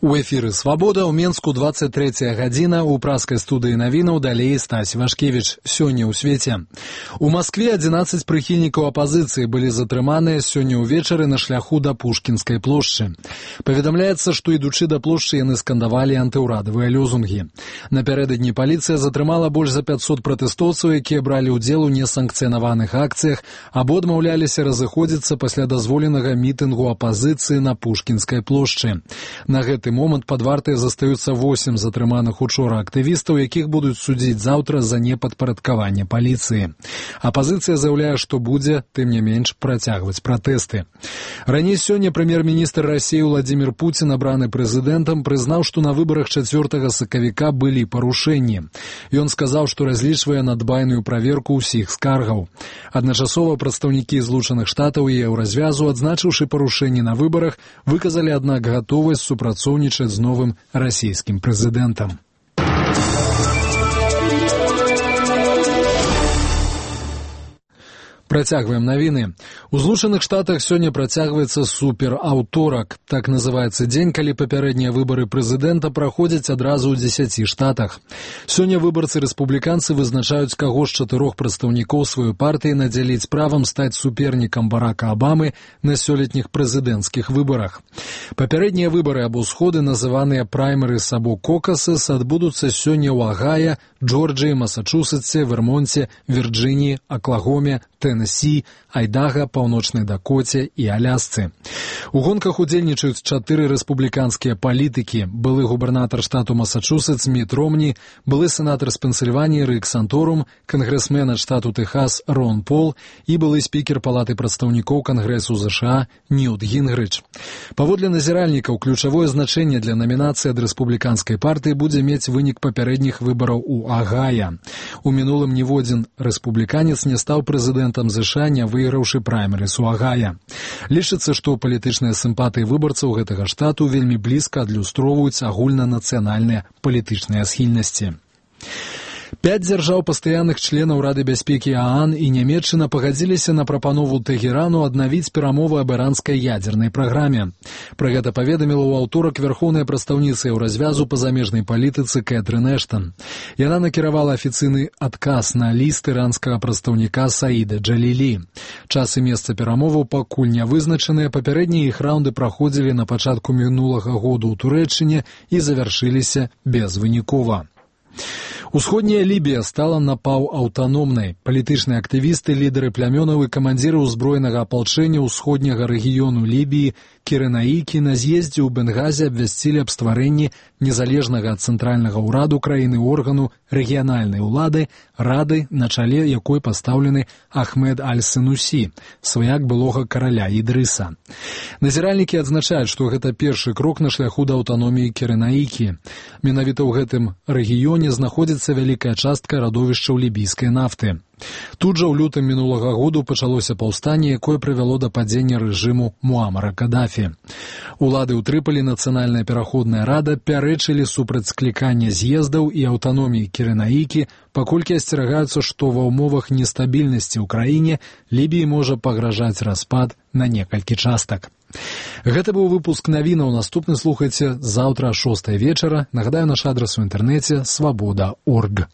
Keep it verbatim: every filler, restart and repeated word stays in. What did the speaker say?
У эфіры «Свабода» ў Менску двадцать третья гадзіна, у праскай студыі навінаў далей Стась Вашкевіч. Сёння ў свеце. У Маскве адзінаццаць прыхільнікаў апазіцыі былі затрыманыя сёння ўвечары на шляху да Пушкінскай плошчы. Паведамляецца, што ідучы да плошчы яны скандавалі антыўрадавыя лёзунгі. Напярэдадні паліцыя затрымала больш за пятьсот пратэстоўцаў, якія бралі ўдзел у несанкцыянаваных акцыях або адмаўляліся разыходзіцца пасля дазволенага мітынгу апазіцыі на Пушкінскай плошчы. На гэты момант пад вартай застаюцца восем затрыманых учора актывістаў, якіх будуць судзіць заўтра за непадпарадкаванне паліцыі. Апазіцыя заяўляе, што будзе, тым не менш, працягваць пратэсты. Раней сёння прэм'ер-міністр Расіі Владзімір Пуцін, абраны прэзідэнтам, прызнаў, што на выбарах чацвёртага сакавіка былі парушэнні. Ён сказаў, што разлічвае на дбайную праверку ўсіх скаргаў. Адначасова прадстаўнікі Злучаных Штатаў і Еўразвязу, адзначыўшы парушэнні на выбарах, выказалі, аднак, гатовасць супрацоўнічаць з новым расійскім прэзідэнтам. Працягваем навіны. У Злучаных Штатах сёння працягваецца супераўторак. Так называецца дзень, калі папярэднія выбары прэзідэнта праходзяць адразу ў дзесяці штатах. Сёння выбарцы-рэспубліканцы вызначаюць, каго з чатырох прадстаўнікоў сваёй партыі надзяліць правам стаць супернікам Барака Абамы на сёлетніх прэзідэнцкіх выбарах. Папярэднія выбары або сходы, называныя праймерыс або кокасэс, адбудуцца сёння ў Агая, Джорджыі, Масачусетсе, Вермонце, Вірджыніі, Аклагоме, Тэннессі, Айдага, Паўночнай Дакоце і Алясцы. У гонках удзельнічаюць чатыры рэспубліканскія палітыкі: былы губернатар штату Масачусетс Міт Ромні, былы сенатар з Пенсільваніі Рик Санторум, кангрэсмен ад штату Тэхас Рон Пол і былы спікер Палаты прадстаўнікоў Кангрэсу ЗША Ньют Гінгрыч. Паводле назіральнікаў, ключавое значэнне для намінацыі ад рэспубліканскай партыі будзе мець вынік папярэдніх выбараў у Агая. У мінулым ніводзін рэспубліканец не стаў прэзідэнтам ЗША, не выйграўшы праймерыс у Агая. Лічыцца, што палітычныя сімпатыі выбарцаў гэтага штату вельмі блізка адлюстроўваюць агульнанацыянальныя палітычныя схільнасці. Пяць дзяржаў пастаянных членаў Рады бяспекі ААН і Нямецчына пагадзіліся на прапанову Тэхерану аднавіць перамовы аб іранскай ядзернай праграме. Пра гэта паведаміла ў аўторак вярхоўная прадстаўніца Еўразвязу па замежнай палітыцы Кэтрын Эштан. Яна накіравала афіцыйны адказ на ліст іранскага прадстаўніка Саіда Джалілі. Час і месца перамоваў пакуль не вызначаныя, папярэднія іх раўнды праходзілі на пачатку мінулага году ў Турэччыне і завяршыліся безвынікова. Усходняя Лібія стала напаўаўтаномнай. Палітычныя актывісты, лідары плямёнаў і камандзіры ўзброенага апалчэння ўсходняга рэгіёну Лібіі Кіренаікі на з'ездзе ў Бенгазе абвясцілі аб стварэнні незалежнага ад цэнтральнага ўраду краіны органу рэгіянальнай улады, рады, на чале якой пастаўлены Ахмед Аль-Сенусі, сваяк былога караля Ідрыса. Назіральнікі адзначаюць, што гэта першы крок на шляху да аўтаноміі Кіренаікі. Менавіта ў гэтым рэгіёне знаходзіцца вялікая частка радовішчаў лібійскай нафты. Тут жа ў лютым мінулага году пачалося паўстанне, якое прывяло да падзення рэжыму Муамара Кадафі. Улады ў Трыполі, Нацыянальная пераходная рада пярэчылі супраць склікання з'ездаў і аўтаноміі Кіренаікі, паколькі асцерагаюцца, што ва ўмовах нестабільнасці ў краіне Лібіі можа пагражаць распад на некалькі частак. Гэта быў выпуск навінаў. Наступны слухайце заўтра о шостай вечара. Нагадаю, наш адрас у інтэрнэце свабода точка орг.